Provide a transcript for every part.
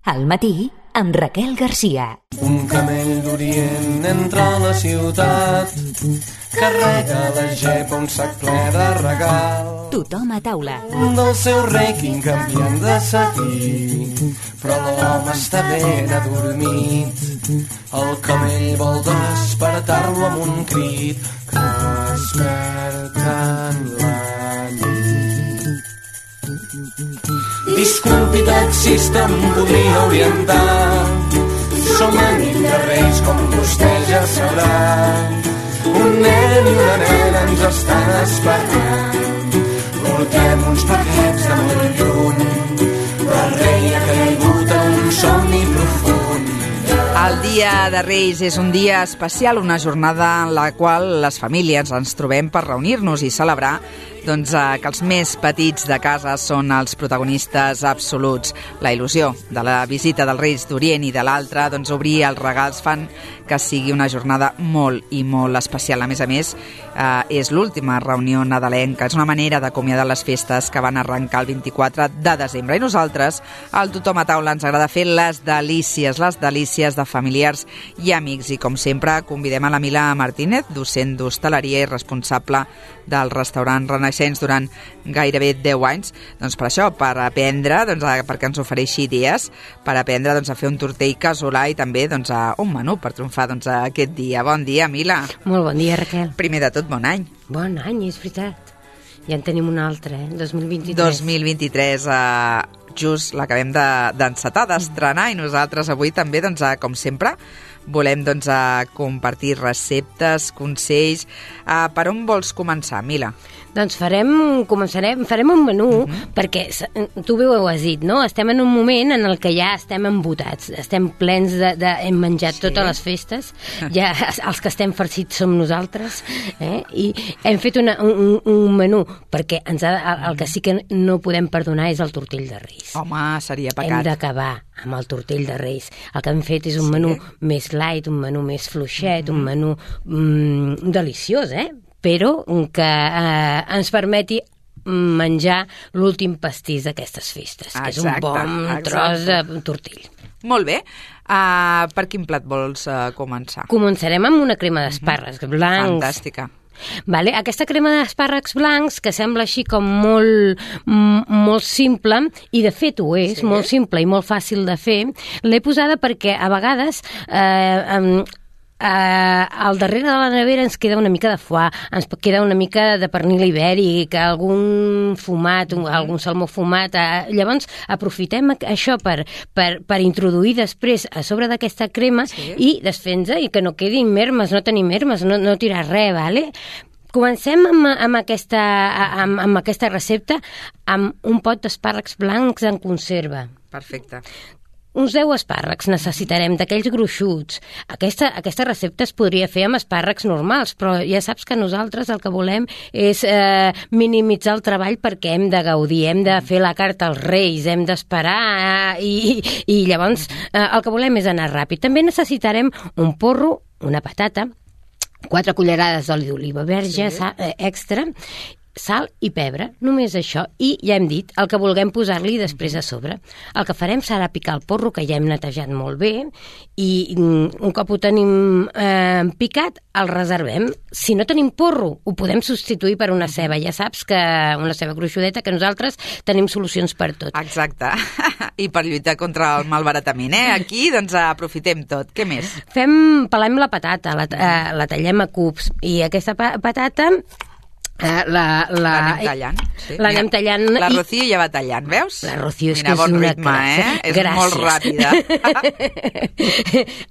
Al matí, amb Raquel Garcia. Un camell d'Orient entra a la ciutat, carrega la gepa un sac ple de regal. Tothom a taula. Del seu rèquing canviant de seguir, però l'home està ben adormit. El camell vol despertar-lo amb un crit que desperta en la nit. Disculpi, taxista, em podria orientar? Som a nit de Reis, com vostè ja sabrà. Un nen i una nena ens estan esperant. Portem uns paquets de molt lluny, però el rei ha caigut en un somni profund. El Dia de Reis és un dia especial, una jornada en la qual les famílies ens trobem per reunir-nos i celebrar que els més petits de casa són els protagonistes absoluts. La il·lusió de la visita dels Reis d'Orient i de l'altra, obrir els regals fan que sigui una jornada molt i molt especial. A més, és l'última reunió nadalenca, és una manera d'acomiadar les festes que van arrencar el 24 de desembre. I nosaltres, al Tothom a taula, ens agrada fer les delícies de familiars i amics. I com sempre, convidem a la Mila Martínez, docent d'hostaleria i responsable del restaurant Renaixents durant gairebé 10 anys, per això, per aprendre, perquè ens ofereixi idees, per aprendre a fer un tortell casolà i també un menú per triomfar aquest dia. Bon dia, Mila. Molt bon dia, Raquel. Primer de tot, bon any. Bon any, és veritat. Ja en tenim un altre, 2023. 2023, just l'acabem d'encetar, d'estrenar, i nosaltres avui també, com sempre, volem compartir receptes, consells. Per on vols començar, Mila? Doncs farem un menú, perquè tu bé ho has dit, no? Estem en un moment en el que ja estem embotats, estem plens hem menjat totes les festes, ja els que estem farcits som nosaltres, i hem fet un menú, perquè el que sí que no podem perdonar és el tortell de Reis. Home, seria pecat. Hem d'acabar amb el tortell de Reis. El que hem fet és un menú més light, un menú més fluixet, un menú deliciós, però que ens permeti menjar l'últim pastís d'aquestes festes, que és un bon tros de tortell. Molt bé. Per quin plat vols començar? Començarem amb una crema d'espàrrecs blancs. Fantàstica. Vale? Aquesta crema d'espàrrecs blancs, que sembla així com molt simple, i de fet ho és, molt simple i molt fàcil de fer, l'he posada perquè a vegades al darrere de la nevera ens queda una mica de foie, ens queda una mica de pernil ibèric, algun fumat, algun salmó fumat. Llavors aprofitem això per introduir després a sobre d'aquesta crema i desfer-nos, i que no quedin mermes, no tenir mermes, no tirar res, vale? Comencem amb aquesta recepta amb un pot d'espàrrecs blancs en conserva. Perfecte. Uns 10 espàrrecs necessitarem, d'aquells gruixuts. Aquesta recepta es podria fer amb espàrrecs normals, però ja saps que nosaltres el que volem és minimitzar el treball, perquè hem de gaudir, hem de fer la carta als Reis, hem d'esperar, i llavors el que volem és anar ràpid. També necessitarem un porro, una patata, 4 cullerades d'oli d'oliva verge extra, sal i pebre, només això, i ja hem dit el que vulguem posar-li després a sobre. El que farem serà picar el porro, que ja hem netejat molt bé, i un cop ho tenim picat, el reservem. Si no tenim porro, ho podem substituir per una ceba. Ja saps que una ceba gruixudeta, que nosaltres tenim solucions per tot. Exacte. I per lluitar contra el malbaratament, Aquí, aprofitem tot. Què més? Pelem la patata, la tallem a cubs, i aquesta patata l'anem tallant. L'anem tallant. La Rocío ja va tallant, veus? La Rocío és que és una crac. És molt ràpida.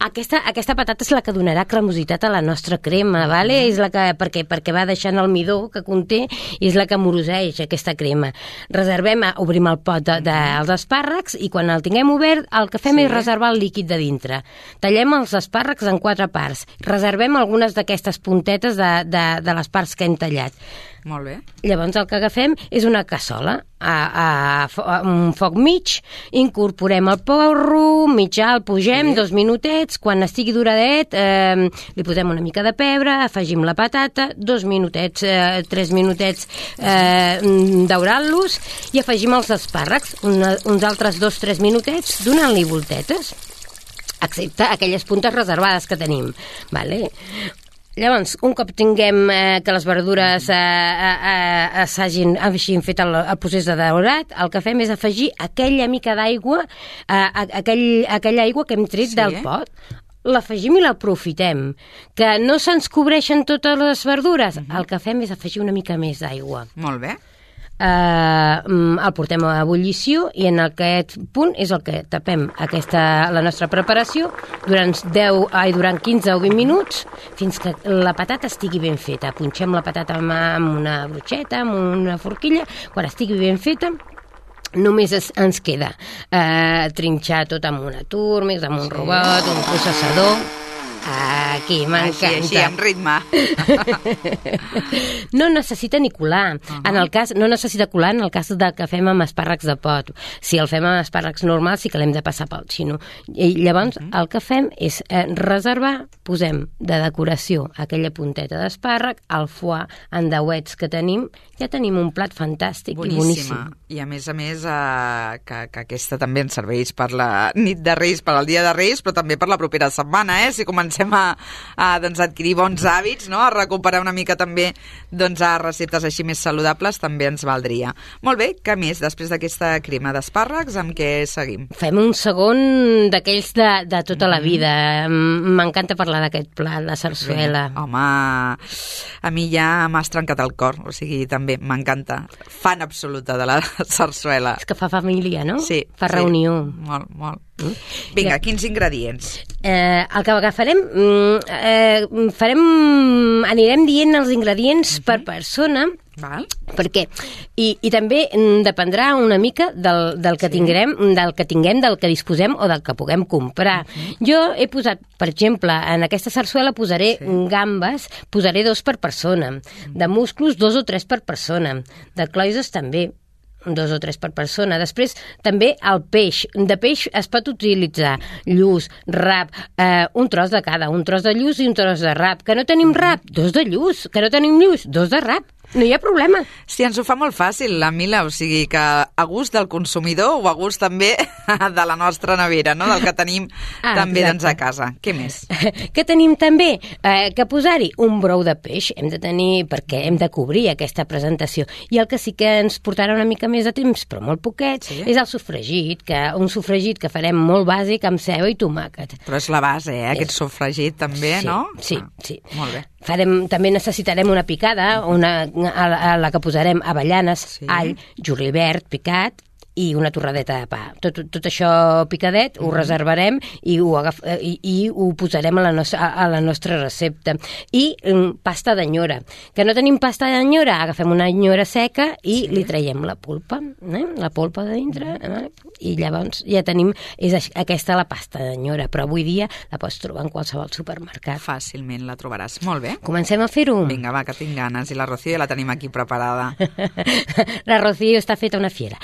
Aquesta patata és la que donarà cremositat a la nostra crema, vale? És la que, perquè va deixant el midó que conté, i és la que moroseix aquesta crema. Obrim el pot dels espàrrecs, i quan el tinguem obert, el que fem és reservar el líquid de dintre. Tallem els espàrrecs en 4 parts. Reservem algunes d'aquestes puntetes de les parts que hem tallat. Molt bé. Llavors el que agafem és una cassola a un foc mig, incorporem el porro, mitjà, el pugem 2 minutets, quan estigui doradet li posem una mica de pebre, afegim la patata, 2 minutets, 3 minutets daurant-los i afegim els espàrrecs, uns altres 2-3 minutets donant-li voltetes, excepte aquelles puntes reservades que tenim, vale? Llavors, un cop tinguem que les verdures hagin fet el procés de daurat, el que fem és afegir aquella mica d'aigua, aquella aigua que hem tret del pot, l'afegim i l'aprofitem. Que no se'ns cobreixen totes les verdures, el que fem és afegir una mica més d'aigua. Molt bé. El portem a ebullició i en aquest punt és el que tapem la nostra preparació durant 15 o 20 minuts fins que la patata estigui ben feta. Punxem la patata amb una brotxeta, amb una forquilla. Quan estigui ben feta només ens queda trinxar tot amb una túrmix, amb un robot, un processador. Aquí, m'encanta. Així, amb ritme. No necessita ni colar. No necessita colar en el cas que fem amb espàrrecs de pot. Si el fem amb espàrrecs normals sí que l'hem de passar pel xino. I llavors el que fem és reservar, posem de decoració aquella punteta d'espàrrec, el foie en dauets que tenim, ja tenim un plat fantàstic i boníssim. I a més, que aquesta també ens serveix per la nit de Reis, per al dia de Reis, però també per la propera setmana, si comencem a adquirir bons hàbits, no? A recuperar una mica també a receptes així més saludables, també ens valdria. Molt bé, què més? Després d'aquesta crema d'espàrrecs, amb què seguim? Fem un segon d'aquells de tota la vida. M'encanta parlar d'aquest plat, la sarsuela. Home, a mi ja m'has trencat el cor, o sigui, també m'encanta. Fan absoluta de la sarsuela. És que fa família, no? Sí. Fa reunió. Molt, molt. Vinga, quins ingredients? El que agafarem, anirem dient els ingredients per persona, perquè i també dependrà una mica del que tinguem, del que disposem o del que puguem comprar. Jo he posat, per exemple, en aquesta sarsuela posaré gambes, posaré 2 per persona, de musclos 2 o 3 per persona, de cloïsses també 2 o 3 per persona. Després, també el peix. De peix es pot utilitzar lluç, rap, un tros de cada, un tros de lluç i un tros de rap. Que no tenim rap? 2 de lluç. Que no tenim lluç? 2 de rap. No hi ha problema. Sí, ens ho fa molt fàcil, la Mila, o sigui que a gust del consumidor o a gust també de la nostra nevera, no? Del que tenim també a casa. Què més? Què tenim també? Que posar-hi un brou de peix hem de tenir, perquè hem de cobrir aquesta presentació. I el que sí que ens portarà una mica més de temps, però molt poquet, és el sofregit, un sofregit que farem molt bàsic amb ceba i tomàquet. Però és la base, aquest sofregit també, no? Sí. Molt bé. També necessitarem una picada, a la que posarem avellanes, all, julivert picat i una torradeta de pa. Tot això picadet ho reservarem i ho posarem a la nostra recepta. I pasta d'anyora. Que no tenim pasta d'anyora, agafem una anyora seca i li traiem la polpa, la polpa de dintre, i llavors ja tenim, és aquesta la pasta d'anyora, però avui dia la pots trobar en qualsevol supermercat. Fàcilment la trobaràs. Molt bé. Comencem a fer-ho. Vinga, va, que tinc ganes. I la Rocío ja la tenim aquí preparada. La Rocío està feta una fiera.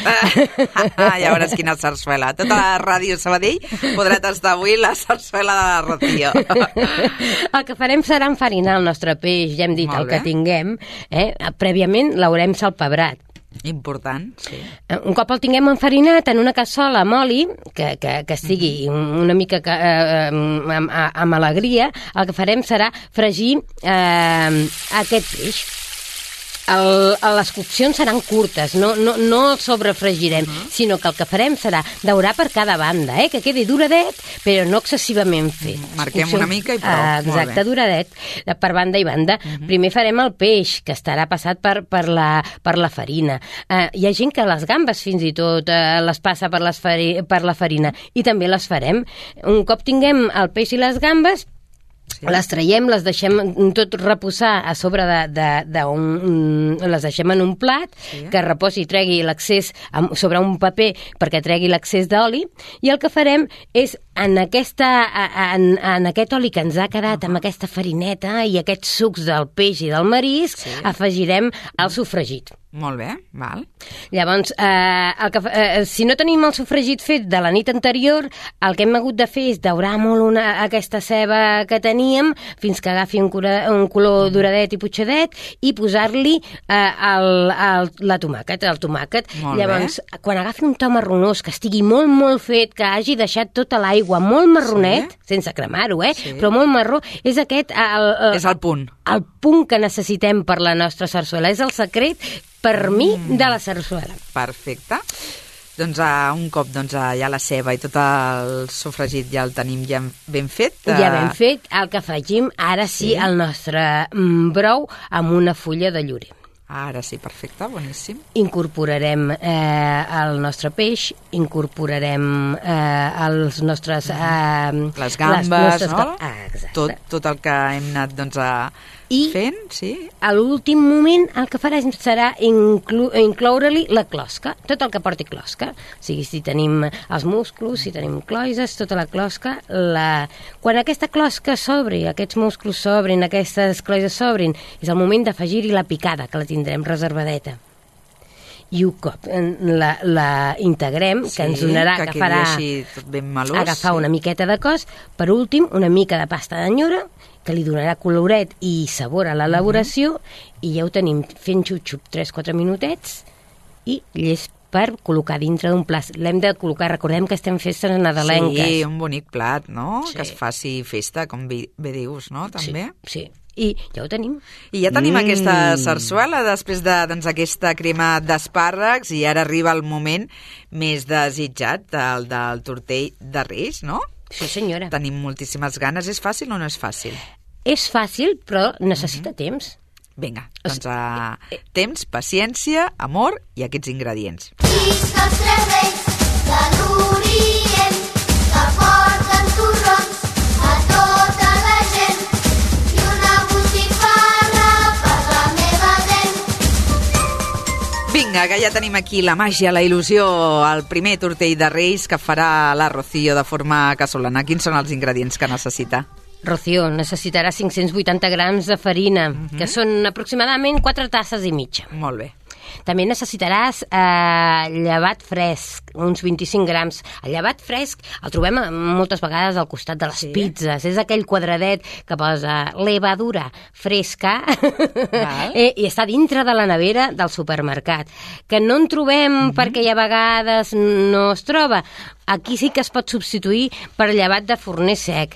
Ja veuràs quina sarsuela. Tota la ràdio Sabadell podrà tastar avui la sarsuela de la Rocío. El que farem serà enfarinar el nostre peix, ja hem dit el que tinguem. Prèviament l'haurem salpebrat. Important, sí. Un cop el tinguem enfarinat en una cassola amb oli, que estigui una mica amb alegria, el que farem serà fregir aquest peix. Les coccions seran curtes, no el sobrefregirem, sinó que el que farem serà daurar per cada banda, que quedi duradet, però no excessivament fet. Marquem una mica i prou. Exacte, duradet, per banda i banda. Primer farem el peix, que estarà passat per la farina. Hi ha gent que les gambes fins i tot les passa per la farina, i també les farem. Un cop tinguem el peix i les gambes, Les traiem, les deixem tot reposar a sobre les deixem en un plat, que reposi i tregui l'accés sobre un paper perquè tregui l'accés d'oli, i el que farem és en aquest oli que ens ha quedat amb aquesta farineta i aquests sucs del peix i del marisc, afegirem el sofregit. Molt bé, val. Llavors, si no tenim el sofregit fet de la nit anterior, el que hem hagut de fer és daurar molt aquesta ceba que teníem fins que agafi un color doradet i potxadet i posar-li la tomàquet, el tomàquet. Llavors, quan agafi un to marronós, que estigui molt, molt fet, que hagi deixat tota l'aigua molt marronet, sense cremar-ho, però molt marró, és aquest... És el punt. El punt que necessitem per la nostra sarsuela. És el secret, per mi, de la sarsuela. Perfecte. Doncs un cop ja la ceba i tot el sofregit ja el tenim ja ben fet. Ja ben fet, el que afegim ara sí el nostre brou amb una fulla de llorer. Ara sí, perfecte, boníssim. Incorporarem el nostre peix, incorporarem els nostres... les gambes, no? Exacte. Tot el que hem anat fent, sí. A l'últim moment el que farem serà incloure-li la closca, tot el que porti closca. O sigui, si tenim els musclos, si tenim cloïses, tota la closca. Quan aquesta closca s'obri, aquests musclos s'obrin, aquestes cloïses s'obrin, és el moment d'afegir-hi la picada, que la tindrem reservadeta. I un cop la integrem, que ens donarà, que farà agafar una miqueta de cos, per últim, una mica de pasta d'anyora, que li donarà coloret i sabor a l'elaboració, i ja ho tenim fent xup-xup 3-4 minutets, i llest per col·locar dintre d'un plat. L'hem de col·locar, recordem que estem festes nadalenques. Sí, un bonic plat, no? Sí. Que es faci festa, com bé dius, no? També. Sí. I ja ho tenim. I ja tenim aquesta sarsuela després d'aquesta crema d'espàrrecs, i ara arriba el moment més desitjat, el del tortell de Reis, no? Sí, senyora. Tenim moltíssimes ganes. És fàcil o no és fàcil? És fàcil, però necessita temps. Vinga, doncs temps, paciència, amor i aquests ingredients. Visca els tres reis de l'Orient, que porten torrons a tota la gent, i una botifarra per la meva dent. Vinga, que ja tenim aquí la màgia, la il·lusió, el primer tortell de Reis que farà la Rocío de forma casolana. Quins són els ingredients que necessita? Rocío, necessitarà 580 grams de farina, que són aproximadament 4 tasses i mitja. Molt bé. També necessitaràs llevat fresc, uns 25 grams. El llevat fresc el trobem moltes vegades al costat de les pizzas. És aquell quadradet que posa levadura fresca i està dintre de la nevera del supermercat. Que no en trobem perquè a vegades no es troba. Aquí sí que es pot substituir per llevat de forner sec.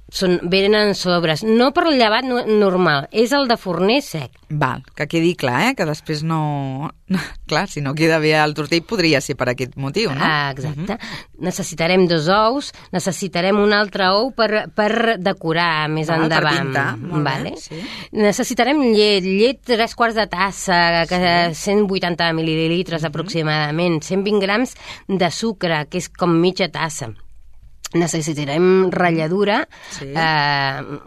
Venen sobres, no per el llevat normal, és el de forner sec. Val, que quedi clar, que després no... Clar, si no queda bé el tortell podria ser per aquest motiu, no? Exacte. Necessitarem 2 ous, necessitarem un altre ou per decorar més endavant. Per pintar, vale. Sí. Necessitarem llet 3/4 de tassa, que 180 mil·lilitres aproximadament, 120 grams de sucre, que és com mitja tassa. Necessitarem ratlladura,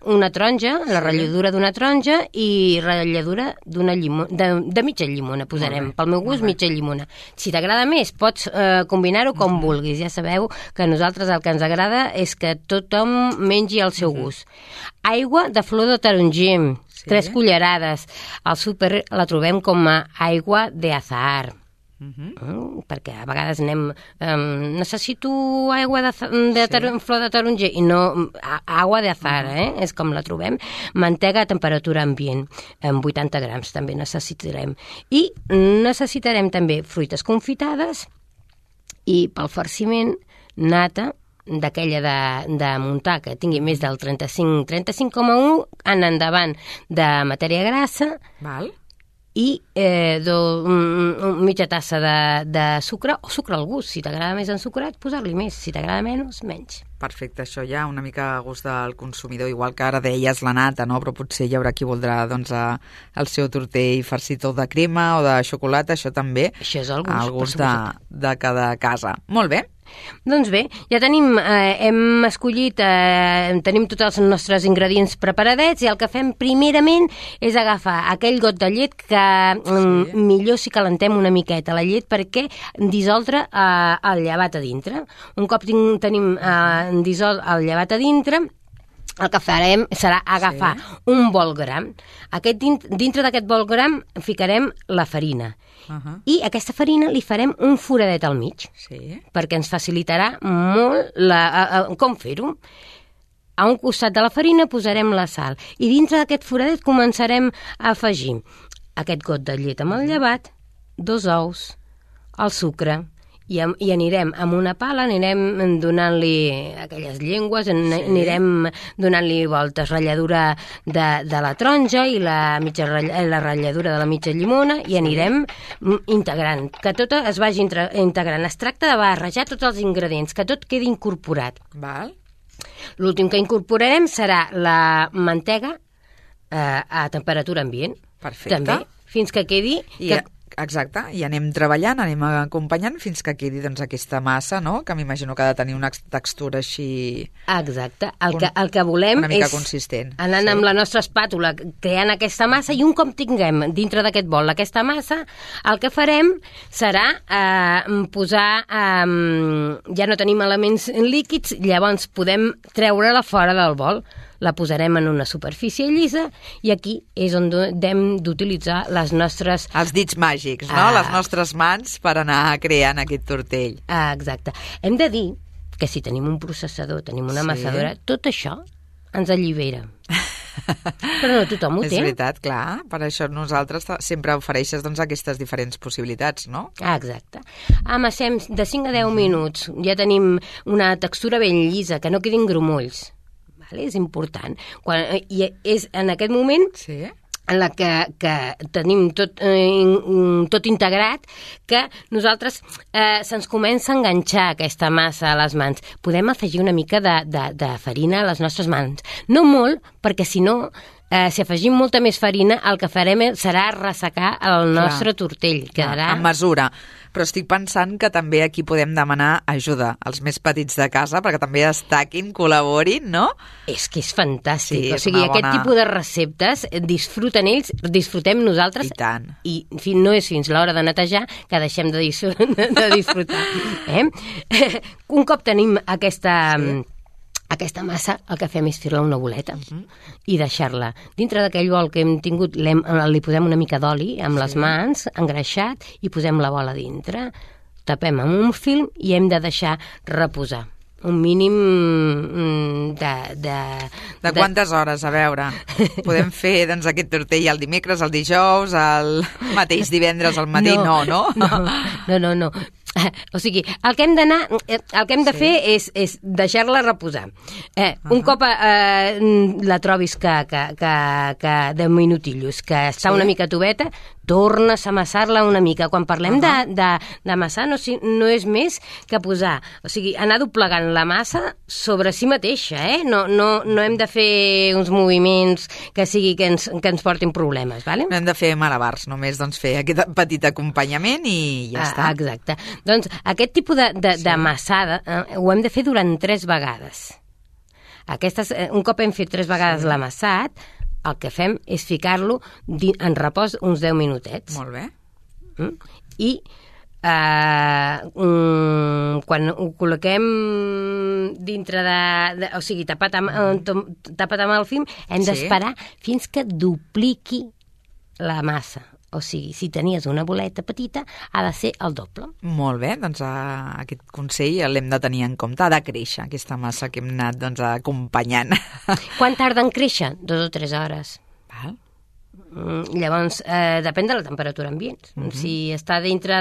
una taronja, la ratlladura d'una taronja i ratlladura de mitja llimona, posarem. Pel meu gust, mitja llimona. Si t'agrada més, pots combinar-ho com vulguis. Ja sabeu que a nosaltres el que ens agrada és que tothom mengi al seu gust. Aigua de flor de taronger, 3 cullerades. Al súper la trobem com a aigua de azahar. Perquè a vegades necessito aigua de flor de taronger i no, aigua de azahar, és com la trobem. Mantega a temperatura ambient, amb 80 grams també necessitarem. I necessitarem també fruites confitades i pel farciment nata d'aquella de muntar, que tingui més del 35,1 en endavant de matèria grassa. Val. I mitja tassa de sucre, o sucre al gust. Si t'agrada més ensucrat, posar-li més. Si t'agrada menys, menys. Perfecte, això ja una mica a gust del consumidor, igual que ara deies la nata, no? Però potser hi haurà qui voldrà el seu tortell farcit o de crema o de xocolata, això també. Això és el gust de cada casa. Molt bé. Doncs bé, ja tenim, hem escollit, tenim tots els nostres ingredients preparadets i el que fem primerament és agafar aquell got de llet que millor si calentem una miqueta la llet perquè dissoldre el llevat a dintre. Un cop tenim dissolt el llevat a dintre, el que farem serà agafar un bol gram. Dintre d'aquest bol gram ficarem la farina. I aquesta farina li farem un foradet al mig, perquè ens facilitarà molt com fer-ho. A un costat de la farina posarem la sal i dintre d'aquest foradet començarem a afegir aquest got de llet amb el llevat, 2 ous, el sucre, i anirem amb una pala, anirem donant-li aquelles llengües, anirem donant-li voltes, ratlladura de la taronja i la ratlladura de la mitja llimona i anirem integrant, que tot es vagi integrant. Es tracta de barrejar tots els ingredients, que tot quedi incorporat. L'últim que incorporarem serà la mantega a temperatura ambient. Perfecte. També, fins que quedi... Exacte, i anem treballant, anem acompanyant fins que quedi aquesta massa, no? Que m'imagino que ha de tenir una textura així... Exacte, el que volem una mica és consistent. Anant amb la nostra espàtula creant aquesta massa i un cop tinguem dintre d'aquest bol aquesta massa, el que farem serà posar... ja no tenim elements líquids, llavors podem treure-la fora del bol. La posarem en una superfície llisa i aquí és on hem d'utilitzar les nostres... Els dits màgics, no? Les nostres mans per anar creant aquest tortell. Exacte. Hem de dir que si tenim un processador, tenim una amassadora, tot això ens allibera. Però no tothom ho té. És veritat, clar. Per això nosaltres sempre ofereixes aquestes diferents possibilitats, no? Exacte. Amassem de 5 a 10 minuts. Ja tenim una textura ben llisa, que no quedin grumolls. És important. I és en aquest moment en la que tenim tot integrat que nosaltres se'ns comença a enganxar aquesta massa a les mans. Podem afegir una mica de farina a les nostres mans. No molt, perquè si no, si afegim molta més farina, el que farem serà ressecar el nostre tortell. Quedarà... En mesura. Però estic pensant que també aquí podem demanar ajuda als més petits de casa perquè també destaquin, col·laborin, no? És que és fantàstic. O sigui, aquest tipus de receptes disfruten ells, disfrutem nosaltres. I tant. I no és fins l'hora de netejar que deixem de disfrutar. Un cop tenim aquesta massa, el que fem és fer-la una boleta i deixar-la. Dintre d'aquell bol que hem tingut, li posem una mica d'oli amb les mans, engreixat, i posem la bola dintre. Tapem amb un film i hem de deixar reposar. Un mínim de quantes hores, a veure? Podem fer aquest tortell el dimecres, el dijous, el mateix divendres al matí? No. No. O sigui, el que hem de fer és deixar-la reposar. Un cop la trobis que 10 minutillos, que està una mica toveta, tornes a amassar-la una mica. Quan parlem d'amassar no és més que posar, o sigui, anar doblegant la massa sobre si mateixa, No hem de fer uns moviments que ens portin problemes, vale? No hem de fer malabars, només fer aquest petit acompanyament i ja està. Exacte. Doncs aquest tipus d'amassada ho hem de fer durant 3 vegades. Un cop hem fet 3 vegades l'amassat, el que fem és ficar-lo en repòs uns 10 minutets. Molt bé. I quan ho col·loquem dintre o sigui, tapat amb el film, hem d'esperar fins que dupliqui la massa. O sigui, si tenies una boleta petita, ha de ser el doble. Molt bé, doncs aquest consell l'hem de tenir en compte. Ha de créixer aquesta massa que hem anat acompanyant. Quan tarda en créixer? 2 o 3 hores. Val. Llavors, depèn de la temperatura ambient. Si està dintre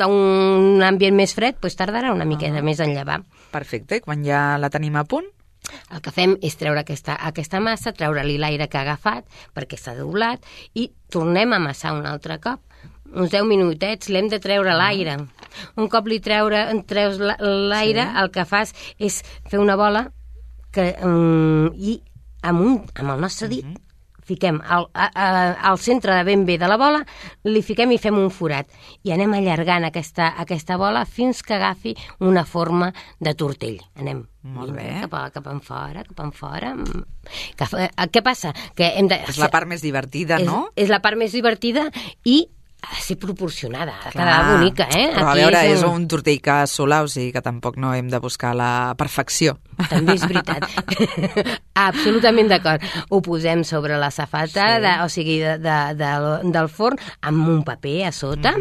d'un ambient més fred, doncs tardarà una miqueta més en llevar. Perfecte, i quan ja la tenim a punt? El que fem és treure aquesta massa, treure-li l'aire que ha agafat, perquè està doblat, i tornem a amassar un altre cop. Uns 10 minutets, l'hem de treure l'aire. Un cop treus l'aire, el que fas és fer una bola i amb el nostre dit fiquem al centre de ben bé de la bola, li fiquem i fem un forat. I anem allargant aquesta bola fins que agafi una forma de tortell. Anem Molt bé. cap enfora. Què passa? Que hem de... És la part més divertida, no? És la part més divertida i ha de ser proporcionada, ha de quedar bonica, eh? Però a veure, és un tortell que sola, o sigui que tampoc no hem de buscar la perfecció. També és veritat. Absolutament d'acord. Ho posem sobre la safata, del forn, amb un paper a sota,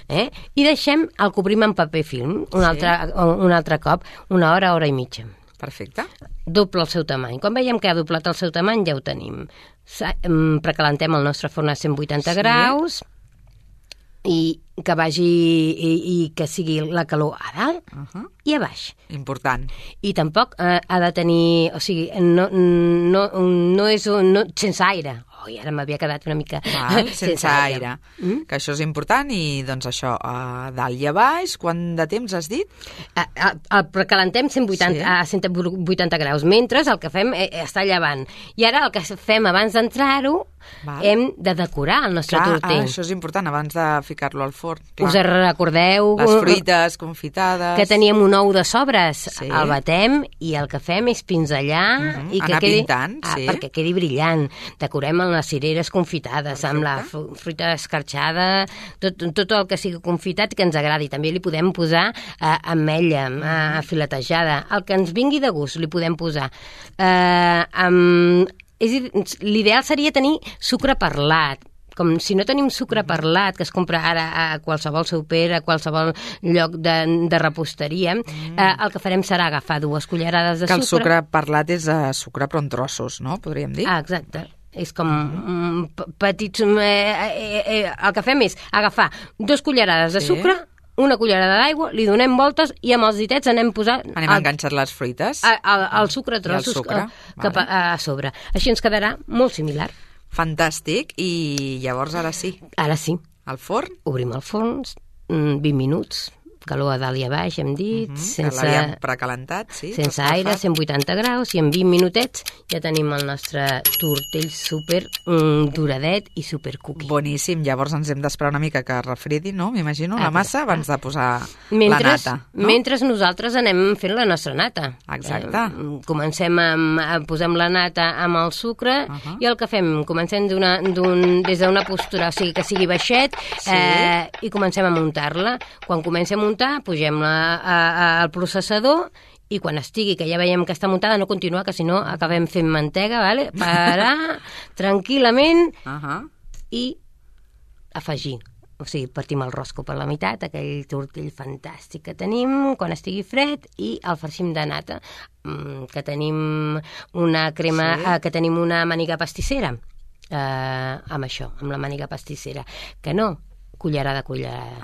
i el cobrim amb paper film un altre cop, una hora i mitja. Perfecte. Doble el seu tamany. Quan veiem que ha doblat el seu tamany, ja ho tenim. Precalentem el nostre forn a 180 graus, i que vagi i que sigui la calor a dalt i a baix. Important. I tampoc ha de tenir, o sigui, no és sense aire. I ara m'havia quedat una mica sense aire. Que això és important i doncs això, a dalt i a baix, quant de temps has dit? El precalentem a 180 graus, mentre el que fem està llevant. I ara el que fem abans d'entrar-ho, hem de decorar el nostre tortell. Això és important, abans de ficar-lo al forn. Us recordeu? Les fruites confitades. Que teníem un ou de sobres. El batem i el que fem és pinzellar i que quedi... pintant, perquè quedi brillant. Decorem les cireres confitades, amb la fruita escarxada, tot el que sigui confitat que ens agradi. També li podem posar ametlla filetejada. El que ens vingui de gust li podem posar. L'ideal seria tenir sucre perlat. Com si no tenim sucre perlat, que es compra ara a qualsevol súper, a qualsevol lloc de reposteria, el que farem serà agafar 2 cullerades de sucre. Que el sucre perlat és sucre però en trossos, no? Podríem dir. Exacte. És com petits... El que fem és agafar 2 cullerades de sucre, 1 cullerada d'aigua, li donem voltes i amb els ditets anem posant... Anem enganxant les fruites. El sucre a trossos cap a sobre. Així ens quedarà molt similar. Fantàstic. I llavors ara sí. Ara sí. Al forn? Obrim el forn, 20 minuts, calor a dalt i a baix, hem dit, que l'havíem precalentat, sí. Sense aire, 180 graus, i en 20 minutets ja tenim el nostre tortell super doradet i super cookie. Boníssim. Llavors ens hem d'esperar una mica que refredi, no? M'imagino, la massa abans de posar la nata. No? Mentre nosaltres anem fent la nostra nata. Exacte. Comencem posem la nata amb el sucre i el que fem, comencem des d'una postura, o sigui, que sigui baixet, i comencem a muntar-la. Quan comencem a muntar, pugem-la al processador i quan estigui, que ja veiem que està muntada, no continuar, que si no acabem fent mantega, vale? Parar tranquil·lament i afegir. O sigui, partim el rosco per la meitat, aquell tortell fantàstic que tenim, quan estigui fred, i el farcim de nata, que tenim una crema, que tenim una màniga pastissera, amb això, amb la màniga pastissera, que no, cullerada.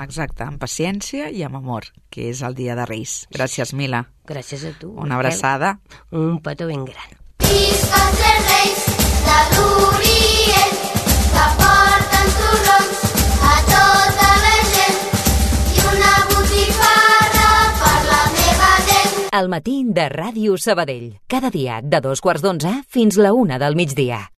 Exacte, amb paciència i amb amor, que és el dia de Reis. Gràcies, Mila. Gràcies a tu. Una abraçada. Un petó ben gran. Visca els tres reis de l'Orient, que porten torrons a tota la gent i una botifarra per la meva dent. El matí de Ràdio Sabadell. Cada dia de 2:15 fins la 1 del migdia.